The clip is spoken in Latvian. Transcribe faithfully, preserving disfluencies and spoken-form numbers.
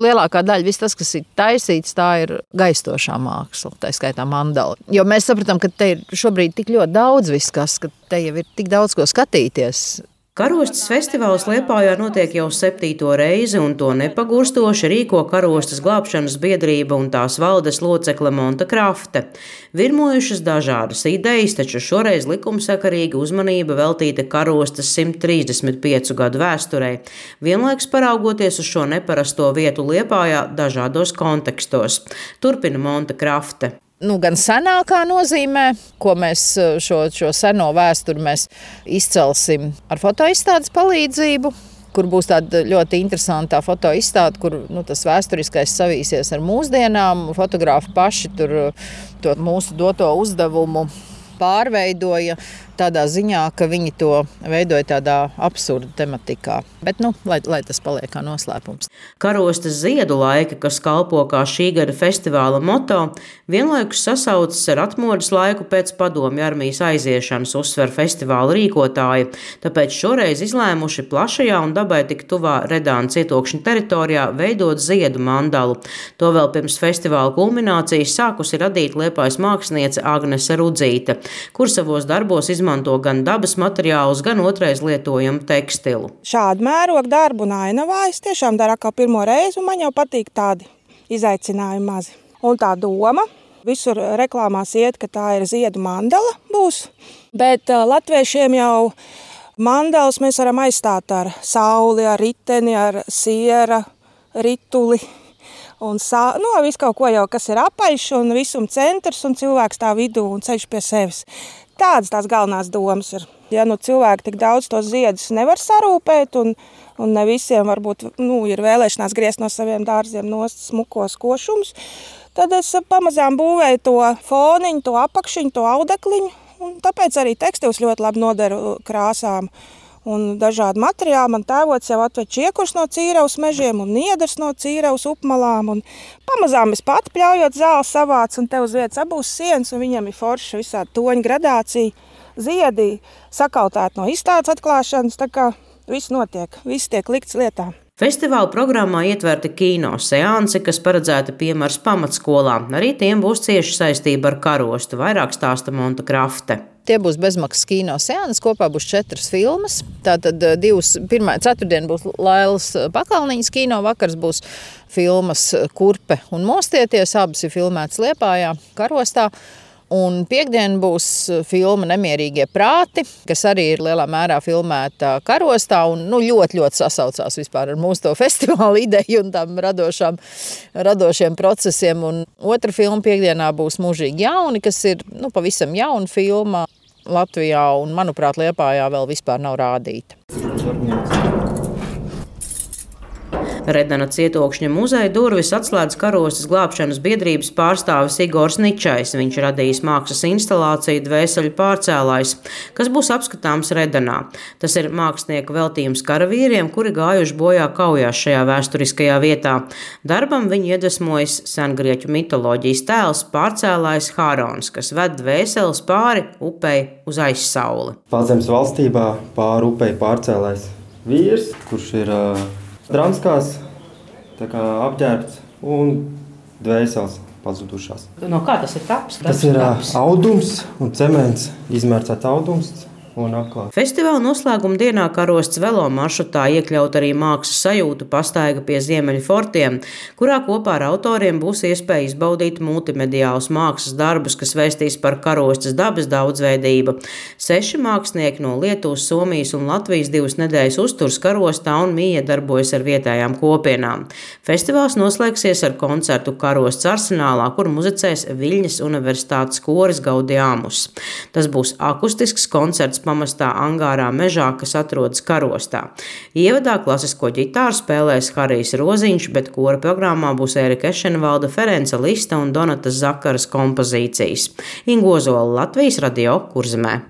Lielākā daļa, viss tas, kas ir taisīts, tā ir gaistošā māksla, tā skaitā mandala. Jo mēs sapratam, ka te ir šobrīd tik ļoti daudz viss, kas, ka te jau ir tik daudz ko skatīties. Karostas festivāls Liepājā notiek jau septīto reizi, un to nepagurstoši rīko Karostas glābšanas biedrība un tās valdes locekle Monta Krafte. Virmojušas dažādas idejas, taču šoreiz likumsakarīga uzmanība veltīta Karostas simt trīsdesmit piecu gadu vēsturei, vienlaikus paraugoties uz šo neparasto vietu Liepājā dažādos kontekstos. Turpina Monta Krafte. Nu, gan senākā nozīmē, ko mēs šo, šo seno vēsturi mēs izcelsim ar fotoizstādes palīdzību, kur būs tāda ļoti interesanta fotoizstāde, kur nu, tas vēsturiskais savīsies ar mūsdienām. Fotografi paši tur to mūsu doto uzdevumu pārveidoja tādā ziņā, ka viņi to veidoja tādā absurda tematikā. Bet, nu, lai, lai tas paliek kā noslēpums. Karostas ziedu laika, kas kalpo kā šī gada festivāla moto, vienlaikus sasaucas ar atmodas laiku pēc padomju armijas aiziešanas, uzsver festivāla rīkotāji. Tāpēc šoreiz izlēmuši plašajā un dabai tik tuvā Redāna cietokšņa teritorijā veidot ziedu mandalu. To vēl pirms festivāla kulminācijas sākusi radīt Liepājas māksliniece Agnese Rudzīte, kur savos darbos izmanto izmanto gan dabas materiālus, gan otrais lietojamu tekstilu. Šādu mērogu darbu un ainavā es tiešām daru kā pirmo reizi, un man jau patīk tādi izaicinājumi mazi. Un tā doma, visur reklāmās iet, ka tā ir ziedu mandala būs, bet uh, latviešiem jau mandalas mēs varam aizstāt ar sauli, ar riteni, ar siera, rituli. Un sā, nu, visu kaut ko jau, kas ir apaļš un visum centrs un cilvēks tā vidū un ceļš pie sevis. Tādas tās galvenās domas ir. Ja nu cilvēki tik daudz tos ziedus nevar sarūpēt un, un ne visiem varbūt nu, ir vēlēšanās griezt no saviem dārziem nost smukos košumus, tad es pamazām būvēju to foniņu, to apakšiņu, to audekliņu, un tāpēc arī tekstils ļoti labi noderu krāsām. Un dažādi materiāli man tēvots jau atved čiekurs no Cīravas mežiem un niedars no Cīravas upmalām. Un pamazām es pati pļaujot zāli savāc, un te uz vietas abūs sienas, un viņam ir forša visādi toņu gradācija. Ziedi sakautēti no izstādes atklāšanas, tā kā viss notiek, viss tiek likts lietā. Festivāla programmā ietverta kino seanse, kas paredzēta Piemars pamatskolām. Arī tiem būs cieši saistība ar Karostu, vairāk stāsta Monta Krafte. Tie būs bezmaksas kino seanses, kopā būs četras filmas. Tātad divas, pirmā ceturtdien būs Lailas Pakalniņas kino, vakars būs filmas Kurpe un Mostieties, abas ir filmētas Liepājā, Karostā. Un piekdien būs filma Nemierīgie prāti, kas arī ir lielā mērā filmēta Karostā un nu, ļoti, ļoti sasaucās vispār ar mūsu to festivāla ideju un tām radošām, radošiem procesiem. Un otra filma piekdienā būs Mūžīgi jauni, kas ir nu, pavisam jauna filma Latvijā un, manuprāt, Liepājā vēl vispār nav rādīta. Redana cietokšņa muzeja durvis atslēdz Karostas glābšanas biedrības pārstāvis Igors Ničais. Viņš radījis mākslas instalāciju Dvēseļu pārcēlājs, kas būs apskatāms Redanā. Tas ir mākslinieku veltījums karavīriem, kuri gājuši bojā kaujās šajā vēsturiskajā vietā. Darbam viņi iedvesmojas sengrieķu mitoloģijas tēls pārcēlājs Hārons, kas ved dvēseles pāri upei uz aizsauli. Pazemes valstībā pāri upei pārcēlājs vīrs, kurš ir uh, dranskās, tā kā apģērbts un dvēseles pazudušās. No kā tas ir taps? Tas ir taps? Audums un cements, izmērcēts audums un apklāts. Festivāla noslēguma dienā Karostas velo maršrutā iekļaut arī mākslas sajūtu pastaiga pie Ziemeļu fortiem, kurā kopā ar autoriem būs iespēja izbaudīt multimediālus mākslas darbus, kas vēstīs par Karostas dabas daudzveidību. Seši mākslinieki no Lietuvas, Somijas un Latvijas divas nedēļas uzturs Karostā un mīja darbojas ar vietējām kopienām. Festivāls noslēgsies ar koncertu Karostas arsenālā, kur muzicēs Viļņas Universitātes koris Gaudiamus. Tas būs akustisks koncerts pamestā angārā mežā, kas atrodas Karostā. Ievadā klasisko ģitāru spēlēs Harijs Roziņš, bet kora programmā būs Ērika Ešenvalda, Ference Lista un Donatas Zakaras kompozīcijas. Inga Ozola, Latvijas radio Kurzemē.